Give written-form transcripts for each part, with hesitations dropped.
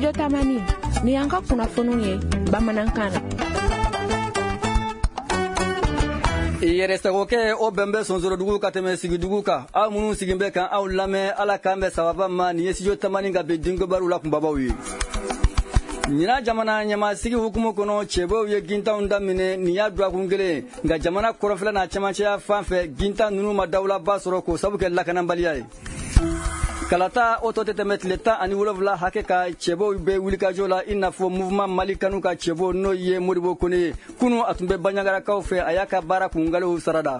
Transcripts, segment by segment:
Studio Tamani, ni y'an ka kunnafoniw ye bamanankan na. Yɛrɛsagokɛ o bɛn bɛ sonsorodugu ka tɛmɛ sigidugu kan. Aw minnu sigin bɛ kan aw lamɛn, Ala k'an bɛn sababa ma. Nin ye Studio Tamani ka bi dinkibaru la kunbabaw ye. Ɲinan jamana ɲɛmasigi hukumu kɔnɔ, cɛbɔw ye gintanw daminɛ. Nin y'a dɔgɔkun kelen, nka jamana kɔrɔnfɛla n'a cɛmancɛya fan fɛ, gintan ninnu ma dawulaba sɔrɔ k'o sabu kɛ lakanabaliya ye. Kalata o tɔ tɛ tɛmɛ tile 17 hakɛ ka, cɛbɔw bɛ wulikajɔ la, i n'a fɔ Mouvement Mali Kanu ka cɛbɔ, n'o ye Modibo Kone ye. Kunu a tun bɛ Banjagarakaw fɛ, a y'a ka baara kungalew sarada.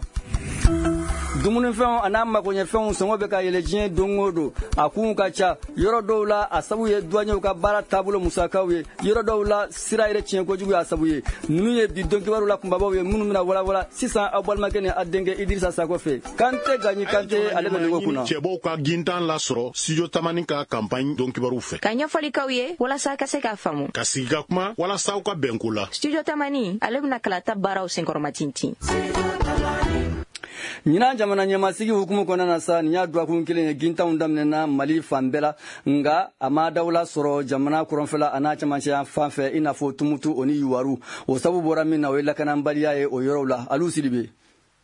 Dumunifɛnw a n'a magoɲɛfɛnw sɔngɔ bɛ ka yɛlɛ diɲɛ don o don. A kunw ka ca. Yɔrɔ dɔw la, a sabu ye duwanɲɛw ka baara taabolo musakaw ye. Yɔrɔ dɔw la, sira yɛrɛ tiɲɛ kojugu y'a sabu ye. Ninnu ye bi don kibaru la kunbabaw ye minnu bɛna walawala sisan aw balimakɛ ni a denkɛ Idirisa Sakɔ fɛ. Kante Gaɲi Kante, ale bɛ nɛgɛ kunna. Cɛbɔw ka gintan lasɔrɔ Studio Tamani ka campagne don kibaru fɛ. Ka ɲɛfɔli k'aw ye walasa ka se k'a faamu. Ka sigi ka kuma walasa aw ka bɛnko la. Studio Tamani, ale bɛna kalata baaraw senkɔrɔma tintin. Ɲinan jamana ɲɛmasigi hukumu kɔnɔna na sa, nin y'a dɔgɔkun kelen ye gintanw daminɛna Mali fan bɛɛ la, nka a ma dawula sɔrɔ jamana kɔrɔnfɛla a n'a cɛmancɛya fan fɛ, i n'a fɔ Tumutu o ni Yuwaru. O sabu bɔra min na, o ye lakanabaliya ye o yɔrɔw la. Alu Sidibe.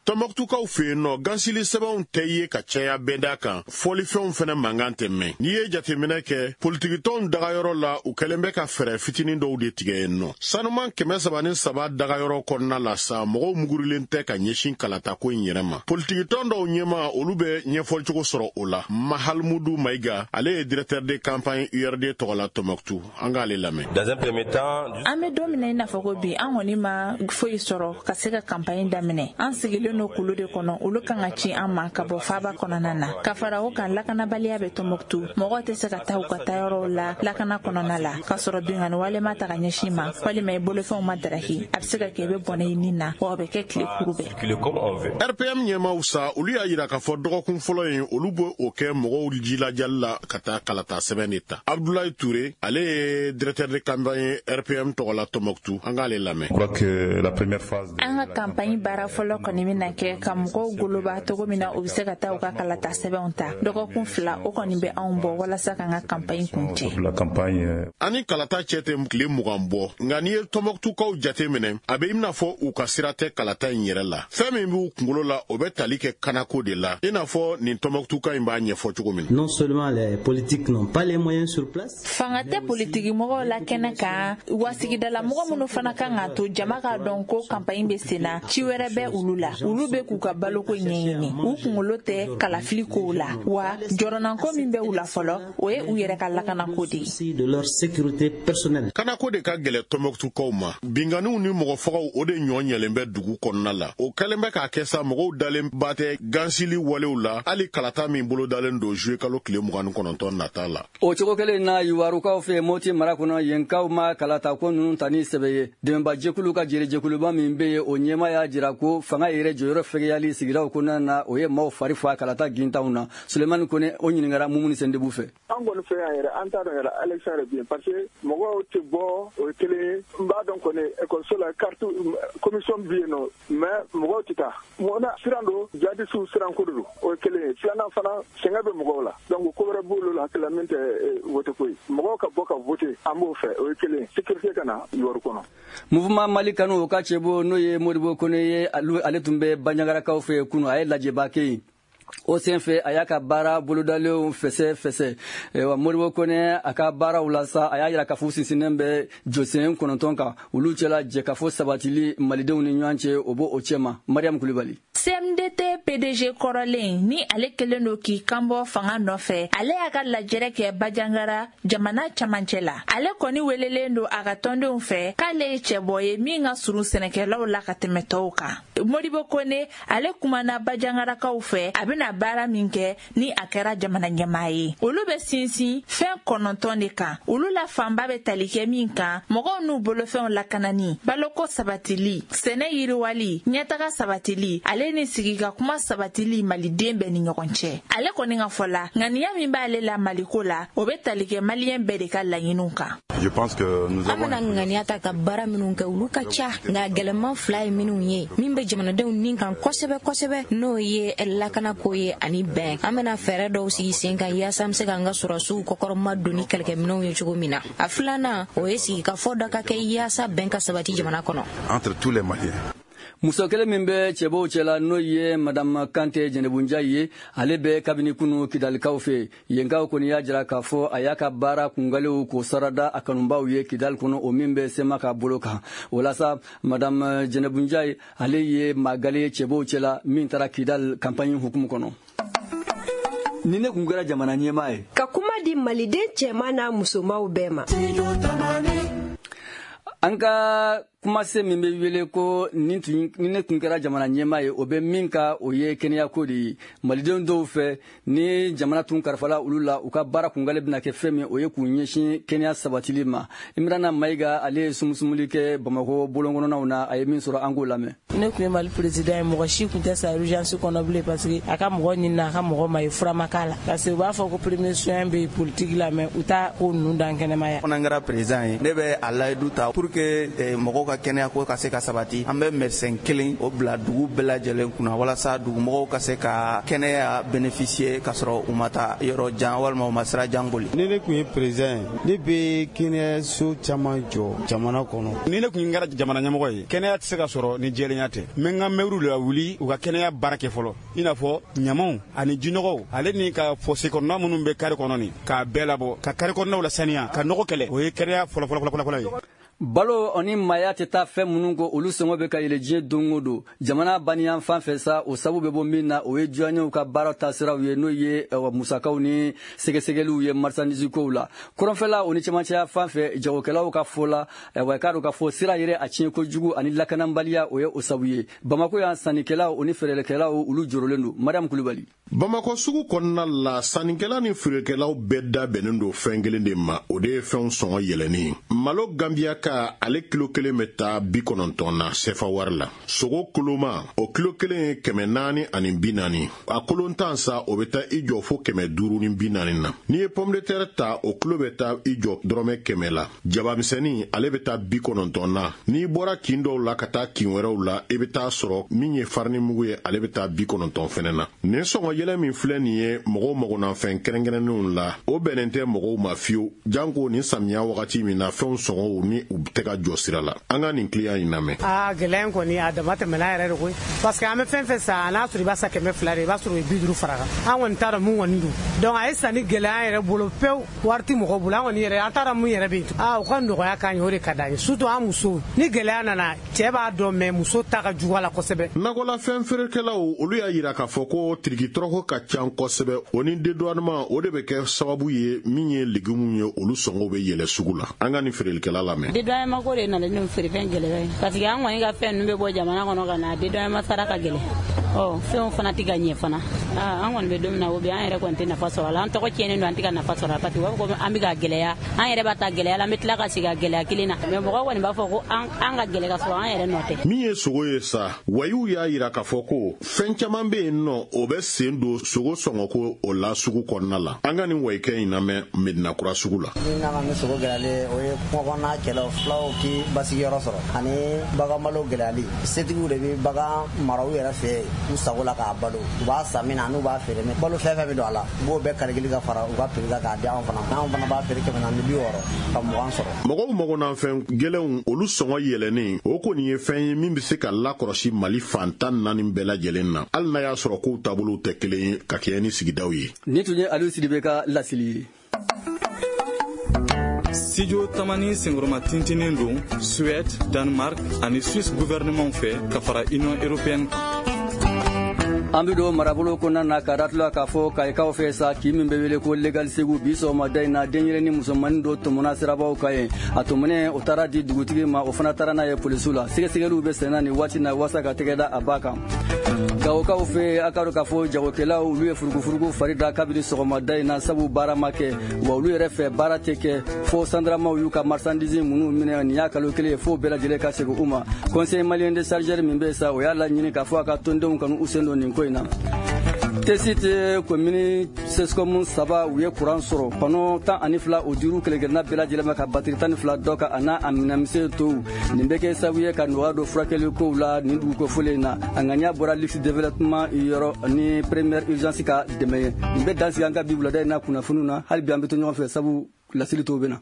Tɔnbɔkutukaw fɛ yen nɔ, gansili sɛbɛnw tɛ ye ka caya bɛnda kan, fɔlifɛnw fɛnɛ mankan tɛ mɛn. N'i ye jateminɛ kɛ politikitɔnw dagayɔrɔ la, u kɛlen bɛ ka fɛɛrɛ fitinin dɔw de tigɛ yen nɔ. Sanuman 303 dagayɔrɔ kɔnɔna la sa, mɔgɔw mugurilen tɛ ka ɲɛsin kalatako in yɛrɛ ma. Politikitɔn dɔw ɲɛma, olu bɛ ɲɛfɔlicogo sɔrɔ o la. Mahalmudu Mayiga, ale ye directeur de campagne URD tɔgɔ la Tɔnbɔkutu, an k'ale lamɛn. Dans un premier temps, An bɛ don min na i n'a fɔ ko bi, an kɔni ma foyi sɔrɔ ka se ka campagne daminɛ. An sigilen don kulu de kɔnɔ, olu kan ka ci an ma ka bɔ faaba kɔnɔna na. Ka fara o kan, lakanabaliya bɛ Tɔnbɔkutu. Mɔgɔw tɛ se ka taa u ka taayɔrɔw la lakana kɔnɔna la, k'a sɔrɔ binkanni wale ma ta ka ɲɛsin ma, walima i bolofɛnw ma daraki. A bɛ se ka kɛ i bɛ bɔnɛ i nin na, wa o bɛ kɛ tile kuru bɛɛ. Circuler comme on veut. RPM ɲɛmaw sa, olu y'a yira k'a fɔ dɔgɔkun fɔlɔ in, olu bɛ o kɛ mɔgɔw jilajali la ka taa kalata sɛbɛn de ta. Abdoulaye Touré, ale ye directeur de campagne RPM tɔgɔ la Tɔnbɔkutu, an k'ale lamɛn. Je crois que la première phase de An ka campagne baara fɔlɔ kɔni bɛna kɛ ka mɔgɔw goloba cogo min na u bɛ se ka taa u ka kalata sɛbɛnw ta. Dɔgɔkun 2, o kɔni bɛ anw bɔ walasa k'an ka campagne kuncɛ. La campagne Ani kalata cɛ tɛ tile 20 bɔ, nka n'i ye Tɔnbɔkutukaw jate minɛ, a bɛ i n'a fɔ u ka sira tɛ kalata in yɛrɛ la. Fɛn min b'u kunkolo la, o bɛ tali kɛ kanako de la, i n'a fɔ nin Tɔnbɔkutuka in b'a ɲɛfɔ cogo min na. Non seulement les politiques n'ont pas les moyens sur place, Fanga tɛ politiki mɔgɔw la kɛnɛ kan, wa sigidala mɔgɔ minnu fana kan k'a to jama k'a dɔn ko campagne bɛ sen na, ci wɛrɛ bɛ olu la. Olu bɛ k'u ka baloko ɲɛɲini, u kunkolo tɛ kalafili kow la, wa jɔrɔnanko min bɛ u la fɔlɔ, o ye u yɛrɛ ka lakanako de ye. Souci de leur sécurité personnelle. Kanako de ka gɛlɛ Tɔnbɔkutukaw ma. Binkanniw ni mɔgɔfagaw, o de ɲɔ ɲɛlen bɛ dugu kɔnɔna la. O kɛlen bɛ k'a kɛ sa, mɔgɔw dalen ba tɛ gansili walew la, hali kalata min bolodalen don juillet kalo tile 29 nata la. O cogo kelen na, Yuwarukaw fɛ Moti mara kɔnɔ, yenkaw ma kalata ko ninnu ta ni sɛbɛ ye. Dɛmɛbajɛkulu ka jɛrɛjɛkuluba min bɛ yen, o ɲɛma y'a jira ko fanga yɛrɛ jɔyɔrɔ fɛgɛyali sigidaw kɔnɔna na, o ye maaw fari fa kalata gintanw na. Sulemani Kone, o ɲininkara Mumuni Sendebu fɛ. An kɔni fɛ yan yɛrɛ, an t'a dɔn yɛrɛ élection yɛrɛ bi, parce que mɔgɔw tɛ bɔ, o ye kelen ye. N b'a dɔn kɔni, ekɔliso la, carte commission bɛ yen nɔ, mais mɔgɔw tɛ taa. Mɔgɔ na siran don, jihadisiw siran ko de don, o ye kelen ye. Filanan fana, sɛgɛn bɛ mɔgɔw la, donc ko wɛrɛ b'olu la hakili la min tɛ vote ko ye. Mɔgɔw ka bɔ ka vote, an b'o fɛ, o ye kelen ye. Sécurité ka na Yuwaru kɔnɔ. Mouvement Mali Kanu, o ka cɛbɔ, n'o ye Modibo Kone ye, ale tun bɛ Banjagarakaw fɛ kunu. A ye lajɛba kɛ yen. O senfɛ, a y'a ka baara bolodalenw fɛsɛ fɛsɛ. Wa Modibo Kone, a ka baaraw la sa, a y'a yira k'a fɔ sinsinnen bɛ jɔsen 9 kan. Olu cɛla, jɛkafɔ sabatili malidenw ni ɲɔgɔn cɛ, o b'o o cɛma. Mariam Kulibali. CMDT PDG kɔrɔlen ni ale kɛlen don k'i kanbɔ fanga nɔfɛ, ale y'a ka lajɛrɛ kɛ Banjagara jamana camancɛ la. Ale kɔni welelen don a ka tɔndenw fɛ k'ale ye cɛbɔ ye min ka surun sɛnɛkɛlaw la ka tɛmɛ tɔw kan. Modibo Kone, ale kumana Banjagarakaw fɛ a bɛna baara min kɛ ni a kɛra jamana ɲɛmaa ye. Olu bɛ sinsin fɛn 9 de kan. Olu la fanba bɛ tali kɛ min kan, mɔgɔw n'u bolofɛnw lakanani, baloko sabatili, sɛnɛ yiriwali, ɲɛtaga sabatili, ale ni sigi ka kuma sabatili maliden bɛɛ ni ɲɔgɔn cɛ. Ale kɔni ka fɔ la, ŋaniya min b'ale la maliko la, o bɛ tali kɛ maliyɛn bɛɛ de ka laɲiniw kan. Je pense que nous An avons bɛna ŋaniya ta ka baara minnu kɛ, olu ka ca, nka gɛlɛman 2 ye minnu ye, min bɛ jamanadenw nin kan kosɛbɛ kosɛbɛ, n'o ye lakanako ko ye ani bɛn. An bɛna fɛɛrɛ dɔw sigi sen kan yaasa an bɛ se k'an ka sɔrɔdasiw kɔkɔrɔma don ni kɛlɛkɛminɛnw ye cogo min na. A filanan, o ye sigikafɔ dɔ ka kɛ yaasa bɛn ka sabati jamana kɔnɔ. Entre tous les Maliens. Muso kelen min bɛ cɛbɔw cɛla, n'o ye Madame Kante Jɛnɛbunja ye, ale bɛ kabini kunu Kidalikaw fɛ yenkaw. Kɔni y'a jira k'a fɔ a y'a ka baara kungalew k'o sarada a kanubaw ye Kidali kɔnɔ, o min bɛ sema ka bolo kan. O la sa, Madame Jɛnɛbunja, ale ye magale ye cɛbɔw cɛla min taara Kidali campagne hukumu kɔnɔ. Ni ne kun kɛra jamana ɲɛmaa ye, ka kuma di Maliden cɛman n'a musomaw bɛɛ ma. An ka kumase min bɛ wele ko ni ne tun kɛra jamana ɲɛmaa ye, o bɛ min ka, o ye kɛnɛyako de ye. Malidenw dɔw fɛ, ni jamana tun kalifala olu la, u ka baara kungale bɛna kɛ fɛn min, o ye k'u ɲɛsin kɛnɛya sabatili ma. Imrana Mayiga, ale ye sumusumuli kɛ Bamakɔ bolonkɔnɔnaw na. A ye min sɔrɔ, an k'o lamɛn. Ne tun ye Mali président ye, mɔgɔ si tun tɛ sa urgence kɔnɔ bilen, parce que a ka mɔgɔ ɲini, a ka mɔgɔ ma ye, fura ma k'a la, parce que u b'a fɔ ko premier soin bɛ politique la, mais u t'a ko ninnu dan kɛnɛmaya. Fana kɛra président ye, ne bɛ a layidu ta pour que mɔgɔw ka kɛnɛya ko ka se ka sabati. An bɛ médecin kelen o bila dugu bɛɛ lajɛlen kunna, walasa dugumɔgɔw ka se ka kɛnɛya bénéficier ka sɔrɔ u ma taa yɔrɔ jan walima u ma sira jan boli. Ni ne tun ye président ye, ne bɛ kɛnɛyaso caman jɔ jamana kɔnɔ. Ni ne tun kɛra jamana ɲɛmɔgɔ ye, kɛnɛya tɛ se ka sɔrɔ ni jɛlenya tɛ. N bɛ n ka mɛriw la wuli u ka kɛnɛya baara kɛ fɔlɔ, i n'a fɔ ɲamanw ani jinɔgɔw, ale ni ka fosse kɔnɔna minnu bɛ kari kɔnɔ nin, k'a bɛɛ labɔ, ka kari kɔnɔnaw lasaniya, ka nɔgɔ kɛlɛ. O ye kɛnɛya fɔlɔ fɔlɔ fɔlɔ fɔlɔ ye. Balo ani maaya tɛ taa fɛn minnu kɔ, olu sɔngɔ bɛ ka yɛlɛ diɲɛ don o don. Jamana baniyan fan fɛ sa, o sabu bɛ bɔ min na, o ye duwanɲɛw ka baara taasiraw ye, n'o ye musakaw ni sɛgɛsɛgɛliw ye marchandise kow la. Kɔrɔnfɛla o ni cɛmancɛya fan fɛ, jagokɛlaw ka fɔ la, wa k'a dɔn k'a fɔ sira yɛrɛ a tiɲɛ kojugu ani lakanabaliya, o ye o sabu ye. Bamako yan, sannikɛlaw o ni feerelikɛlaw, olu jɔrɔlen don. Mariam Kulubali. Bamakɔ sugu kɔnɔna la, sannikɛla ni feerekɛlaw bɛɛ da bɛnnen don fɛn kelen de ma, o de ye fɛnw sɔngɔ yɛlɛnni. Malo Gambiya ka, ale kilo kelen bɛ taa 90 na sefa wari la. Sogo koloma, o kilo kelen ye 440. A kolon tan sa, o bɛ taa i jɔ fo 540 na. N'i ye pomme de terre ta, o kilo bɛ taa i jɔ dɔrɔmɛ 100 la. Jabamisɛnnin, ale bɛ taa 90 na. N'i bɔra kin dɔw la ka taa kin wɛrɛw la, i bɛ taa sɔrɔ min ye farini mugu ye, ale bɛ taa 90 fɛnɛ na. Nin sɔngɔ yɛlɛ min filɛ nin ye mɔgɔw magonafɛn kɛrɛnkɛrɛnnenw la, o bɛnnen tɛ mɔgɔw ma fiyewu, janko nin samiya wagati min na, fɛnw sɔngɔw ni u tɛ ka jɔ sira la. An ka nin kiliyan in lamɛn. Aa, gɛlɛya in kɔni, a dama tɛmɛna yɛrɛ de koyi, parce que an bɛ fɛn fɛn san, n'a sɔrɔ i b'a san 200 de, i b'a sɔrɔ o ye 50 fara kan. An kɔni t'a dɔn mun kɔni don. Donc a ye sanni gɛlɛya an yɛrɛ bolo pewu, wari tɛ mɔgɔ bolo. An kɔni yɛrɛ, an t'a dɔn mun yɛrɛ bɛ yen. Aa, u ka nɔgɔya k'an ye, o de ka d'an ye, surtout an musow. Ni gɛlɛya nana, cɛ b'a dɔn, mais muso ta ka jugu a la kosɛbɛ. Nakɔlafɛn feerekɛlaw, olu y'a yira k'a fɔ ko tirikitɔrɔkɔ ka ca kosɛbɛ, o ni dédouanement, o de bɛ kɛ sababu ye min ye légumes ye, olu sɔngɔw bɛ yɛlɛ sugu la. An ka nin feerelikɛla lamɛn. Dédouanement ko de nana ni feerefɛn gɛlɛya ye, parce que an kɔni ka fɛn ninnu bɛ bɔ jamana kɔnɔ ka na, dédouanement sara ka gɛlɛn. Ɔ fɛnw fana tɛ ka ɲɛ fana. An kɔni bɛ don min na o bi, an yɛrɛ kɔni tɛ nafa sɔrɔ a la. An tɔgɔ tiɲɛnen don, an tɛ ka nafa sɔrɔ a la, parce que u b'a fɔ ko an bɛ ka gɛlɛya. An yɛrɛ b'a ta gɛlɛya la, an bɛ tila ka segin a gɛlɛya kelen na, mais mɔgɔw kɔni b'a fɔ ko an ka gɛlɛ ka sɔrɔ an yɛrɛ nɔ tɛ. Min ye sogo ye sa, wayiw y'a yira k'a fɔ ko fɛn caman bɛ yen nɔ, o bɛ sen don sogo sɔngɔko o la sugu kɔnɔna la. An ka nin wayikɛ in lamɛn Medinakura sugu la. Min nana ni sogo gɛlɛyalen, o ye kungo kɔnɔna kɛlɛ, fulaw k'i basigiyɔrɔ sɔrɔ, ani baganbalo gɛlɛyali. Setigiw de bɛ bagan mara u yɛrɛ fɛ u sago la k'a balo. U b'a san min na, n'u b'a feere min, balo fɛn fɛn bɛ don a la, u b'o bɛɛ kalikili ka fara u ka prix kan k'a di anw fana ma. Anw fana b'a feere 460 ka 20 sɔrɔ. Mɔgɔw magonafɛn gɛlɛnw, olu sɔngɔ yɛlɛnnen, o kɔni ye fɛn ye min bɛ se ka lakɔlɔsi Mali fan 14 bɛɛ lajɛlen na, hali n'a y'a sɔrɔ kow taabolow tɛ kelen ye ka kɛɲɛ ni sigidaw ye. Nin tun ye Aliou Sidibe ka laseli ye. Studio Tamani senkɔrɔma tintinen don Suède, Danemark ani Suisse gouvernement fɛ ka fara Union européenne kan. An bɛ don marabolo kɔnɔna na ka datula k'a fɔ kayikaw fɛ sa, k'i min bɛ wele ko Legal Segu, bi sɔgɔmada in na, denyɛrɛni musomannin dɔ tɔmɔna sirabaw kan yen. A tɔmɔnen, o taara di dugutigi ma, o fana taara n'a ye polisiw la. Sɛgɛsɛgɛliw bɛ senna nin waati na walasa ka tɛgɛ da a ba kan. Gawokaw fɛ, a ka dɔn k'a fɔ jagokɛlaw, olu ye furugufurugu fari da kabini sɔgɔmada in na, sabu baara ma kɛ. Wa olu yɛrɛ fɛ, baara tɛ kɛ fo sandaramaw y'u ka marchandise minnu minɛ nin y'a kalo kelen ye, fo bɛɛ lajɛlen ka segin u ma. Conseil malien de chargeur min bɛ sa, o y'a laɲini k'a fɔ a ka tɔndenw kanu u sen don nin ko. kofɔ in na. Tessit komini CSCOM 3, u ye kuran sɔrɔ. Panneau 12, o dir'u kelen-kelenna bɛɛ lajɛlen ma, ka batiri 12 dɔ kan, a n'a a minɛnmisɛn tɔw. Nin bɛ kɛ sababu ye ka nɔgɔya don furakɛli kow la nin dugu kofɔlen in na. A ŋaniya bɔra Luxe Développement yɔrɔ ni Première Urgence ka dɛmɛ ye. Nin bɛ dan sigi an ka bi wulada in na kunnafoniw na. Hali bi an bɛ to ɲɔgɔn fɛ, sabu laseli tɔw bɛ na.